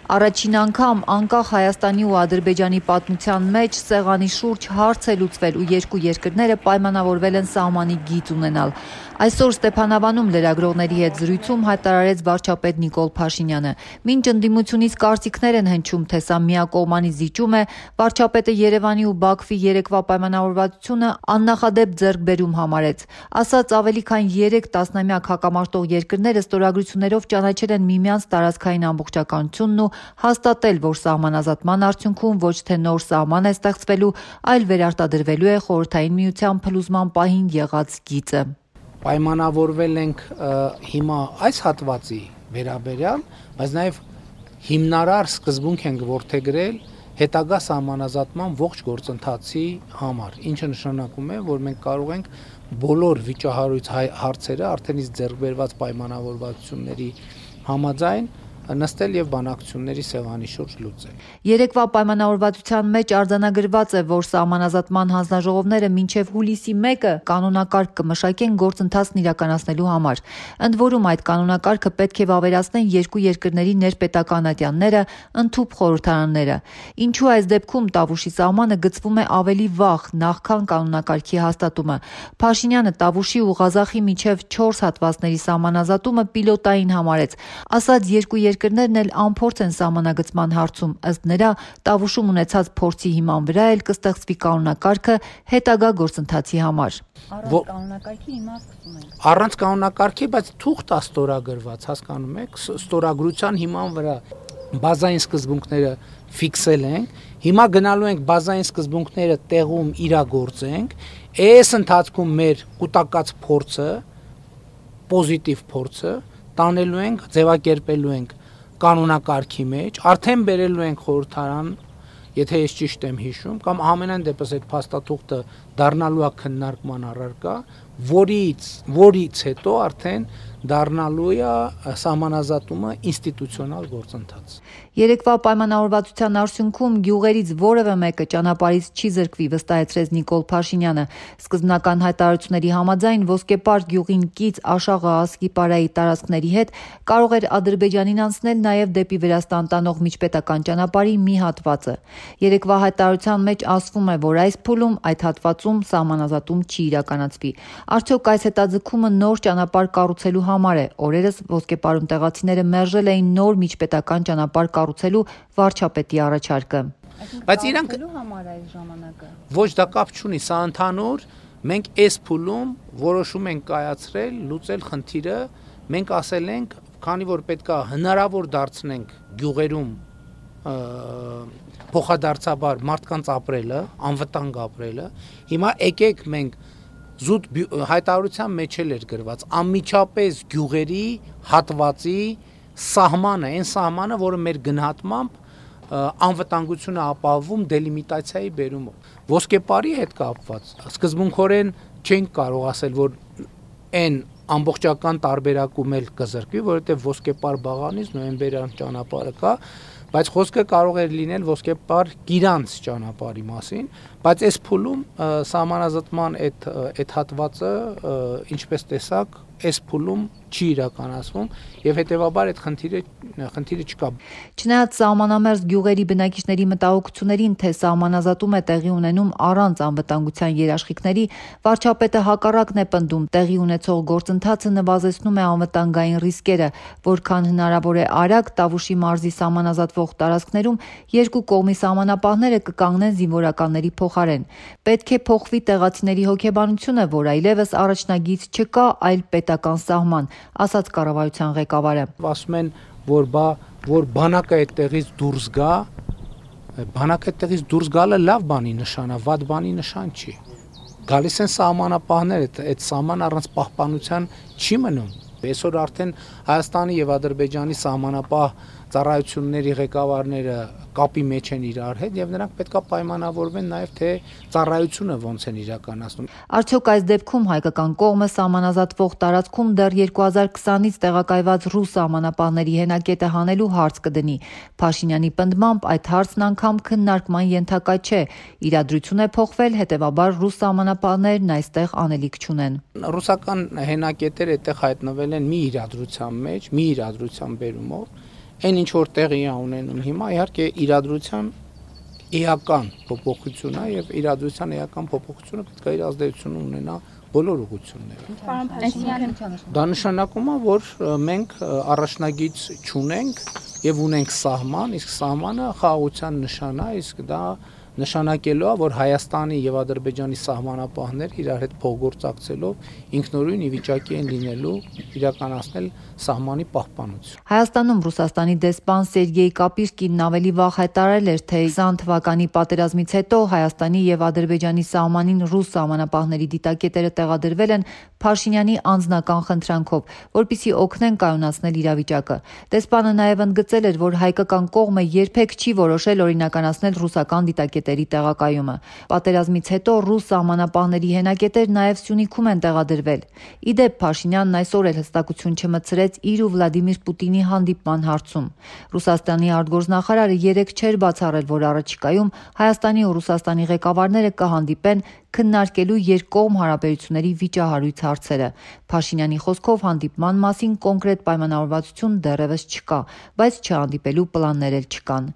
Առաջին անգամ անկախ Հայաստանի ու Ադրբեջանի պատմության մեջ սեղանի շուրջ հարց է լուծվել ու երկու երկրները պայմանավորվել են սահմանի գիծ ունենալ։ Այսօր Ստեփանավանում լրագրողների հետ զրույցում հայտարարեց վարչապետ Նիկոլ Փաշինյանը։ Մինչ ընդդիմությունից կարծիքներ են հնչում, թե սա միակողմանի զիջում է, վարչապետը Երևանի ու Բաքվի երեկվա պայմանավորվածությունը աննախադեպ ձեռքբերում համարեց։ Ասաց ավելի քան 3 տասնամյակ հակամարտող երկրները ստորագրություններով ճանաչել են միմյանց տարածքային ամբողջականությունն ու հաստատել, որ սահմանազատման արդյունքում ոչ թե նոր սահման է ստեղծվելու, այլ վերարտադրվելու է Խորհրդային Միության փլուզման պահին եղած գիծը։ Պայմանավորվել ենք հիմա այս հատվածի վերաբերյալ, բայց նաև հիմնարար սկզբունք ենք որդեգրել հետագա սահմանազատման ողջ գործընթացի համար, ինչը նշանակում է, որ մենք կարող ենք բոլոր վիճահարույց հարցերը արդեն իսկ ձեռքբերված պայմանավորվածությունների համաձայն նստել եւ բանակցությունների սեղանի շուրջ լուծել։ Երեկվա պայմանավորվածության մեջ արձանագրված է, որ սահմանազատման հանձնաժողովները մինչև հուլիսի 1-ը կանոնակարգ կմշակեն գործընթացն իրականացնելու համար։ Ընդ որում այդ կանոնակարգը պետք է վավերացնեն երկու երկրների ներպետական ատյանները, ընդհուպ խորհրդարանները։ Ինչու այս դեպքում Տավուշի սահմանը գծվում է ավելի վաղ, նախքան կանոնակարգի հաստատումը։ Փաշինյանը Տավուշի ու Ղազախի միջև 4 հատվածների սահմանազատումը պիլոտային համարեց։ Ասաց երկու երկրներն էլ անփորձ են սահմանագծման հարցում, ըստ նրա Տավուշում ունեցած փորձի հիման վրա էլ կստեղծվի կանոնակարգը հետագա գործընթացի համար։ Առանց կանոնակարգի հիմա սկսում ենք։ Առանց կանոնակարգի, բայց թուղթ է ստորագրված, հասկանում եք, ստորագրության հիման վրա բազային սկզբունքները ֆիքսել ենք։ Հիմա գնալու ենք բազային սկզբունքները տեղում իրագործենք։ Այս ընթացքում մեր կուտակած փորձը, պոզիտիվ փորձը տանելու ենք, ձևակերպելու ենք կանոնակարգի մեջ, արդեն բերելու ենք խորհրդարան, եթե ես ճիշտ եմ հիշում, կամ ամենայն դեպս այդ փաստաթուղթը դառնալու է քննարկման առարկա, որից հետո արդեն դառնալու է սահմանազատումը ինստիտուցիոնալ գործընթաց։ Երեկվա պայմանավորվածության արդյունքում գյուղերից որևէ մեկը ճանապարհից չի զրկվի, վստահեցրեց Նիկոլ Փաշինյանը։ Սկզբնական հայտարարությունների համաձայն Ոսկեպար գյուղին կից Աշաղը Ասկիպարայի տարածքների հետ կարող էր Ադրբեջանին անցնել նաև դեպի Վրաստան տանող միջպետական ճանապարհի մի հատվածը։ Երեկվա հայտարարության մեջ ասվում է, որ այս փուլում այդ հատվածում սահմանազատում չի իրականացվի։ Արդյոք այս հետաձգումը նոր ճանապարհ կառուցելու համար է։ Օրերս Ոսկեպարում տեղացիները մերժել էին նոր միջպետական ճանապարհ կառուցելու վարչապետի առաջարկը։ Բայց իրանք համար այս ժամանակը ոչ դա կապ չունի, սա ընդհանուր, մենք այս փուլում որոշում ենք կայացրել, լուծել խնդիրը, մենք ասել ենք, քանի որ պետքա հնարավոր դարձնենք գյուղերում փոխադարձաբար մարդկանց ապրելը, անվտանգ ապրելը, հիմա եկեք մենք զուտ հայտարարության մեջ էր գրված անմիջապես գյուղերի հատվածի սահմանը, այն սահմանը, որը մեր գնահատմամբ անվտանգությունը ապահովում դելիմիտացիայի բերումով։ Ոսկեպարի հետ կապված սկզբունքորեն չենք կարող ասել, որ այն ամբողջական տարբերակում էլ կզրկվի, որովհետև Ոսկեպար բաղանից նոյեմբերյան ճանապարհը կա, բայց խոսքը կարող էր լինել Ոսկեպար Կիրանց ճանապարհի մասին, բայց այս փուլում սահմանազատման այդ հատվածը, ինչպես տեսակ, այս փուլում չի իրականացվում եւ հետեւաբար այդ խնդիրը չկա։ Չնայած սահմանամերձ գյուղերի բնակիչների մտահոգություններին, թե սահմանազատում է տեղի ունենում առանց անվտանգության երաշխիքների, վարչապետը հակառակն է պնդում, տեղի ունեցող գործընթացը նվազեցնում է անվտանգային ռիսկերը, որքան հնարավոր է արագ Տավուշի մարզի սահմանազատվող տարածքներում երկու կողմի սահմանապահները կկանգնեն զինվորականների փոխարեն։ Պետք է փոխվի տեղացիների հոգեբանությունը, որ այլևս առաջնագիծ չկա, այլ պետական սահման, ասաց կառավարության ղեկավարը։ Ասում են, որ բանակը այդտեղից դուրս գա, բանակը այդտեղից դուրս գալը լավ բանի նշան է, վատ բանի նշան չի։ Գալիս են սահմանապահներ, այդ սահման առանց պահպանության չի մնում։ Այսօր արդեն Հայաստանի եւ Ադրբեջանի սահմանապահ ծառայությունների ղեկավարները կապի մեջ են իրար հետ եւ նրանք պետքա պայմանավորվեն նաեւ թե ծառայությունը ոնց են իրականացնում։ Արդյոք այս դեպքում հայկական կողմը սահմանազատվող տարածքում դեռ 2020-ից տեղակայված ռուս սահմանապահների հենակետը հանելու հարց կդնի։ Փաշինյանի պնդմամբ այդ հարցն անգամ քննարկման ենթակա չէ։ Իրադրություն է փոխվել, հետեւաբար ռուս սահմանապահներն այստեղ անելիք չունեն։ Ռուսական հենակետերը այդտեղ հայտնվել են մի իրադրության մեջ, մի իրադրության բերումով։ Այն ինչ որ տեղի է ունենում հիմա, իհարկե իրադրության էական փոփոխություն է եւ իրադրության էական փոփոխությունը պետք է իր ազդեցություն ունենա բոլոր ուղղություններով։ Դա նշանակում է, որ մենք առաջնագիծ չունենք եւ ունենք սահման, իսկ սահմանը խաղաղության նշան է, իսկ դա նշանակելու է, որ Հայաստանի եւ Ադրբեջանի սահմանապահները իրար հետ փոխգործակցելով ինքնուրույն ի վիճակի են լինելու իրականացնել սահմանի պահպանություն։ Հայաստանում Ռուսաստանի դեսպան Սերգեյ Կապիրկինն ավելի վաղ հայտարարել էր, թե 20 թվականի պատերազմից հետո Հայաստանի եւ Ադրբեջանի սահմանին ռուս սահմանապահների դիտակետերը տեղադրվել են Փաշինյանի անձնական խնդրանքով, որպեսզի օգնեն կայունացնել իրավիճակը։ Դեսպանը նաեւ ընդգծել էր, որ հայկական կողմը երբեք չի որոշել օրինականացնել ռուսական դիտակետերի տեղակայումը։ Պատերազմից հետո ռուս սահմանապահների հենակետեր նաեւ Սյունիքում են տեղադրվել։ Իդեպ Փաշինյանն այսօր էլ հստակություն չմտցրեց իր ու Վլադիմիր Պուտինի հանդիպման հարցում։ Ռուսաստանի արտգործնախարարը երեկ չէր բացառել, որ առաջիկայում Հայաստանի ու Ռուսաստանի ղեկավարները կհանդիպեն քննարկելու երկկողմ հարաբերությունների վիճահարույց հարցերը։ Փաշինյանի խոսքով հանդիպման մասին կոնկրետ պայմանավորվածություն դեռևս չկա, բայց չհանդիպելու պլաններ էլ չկան։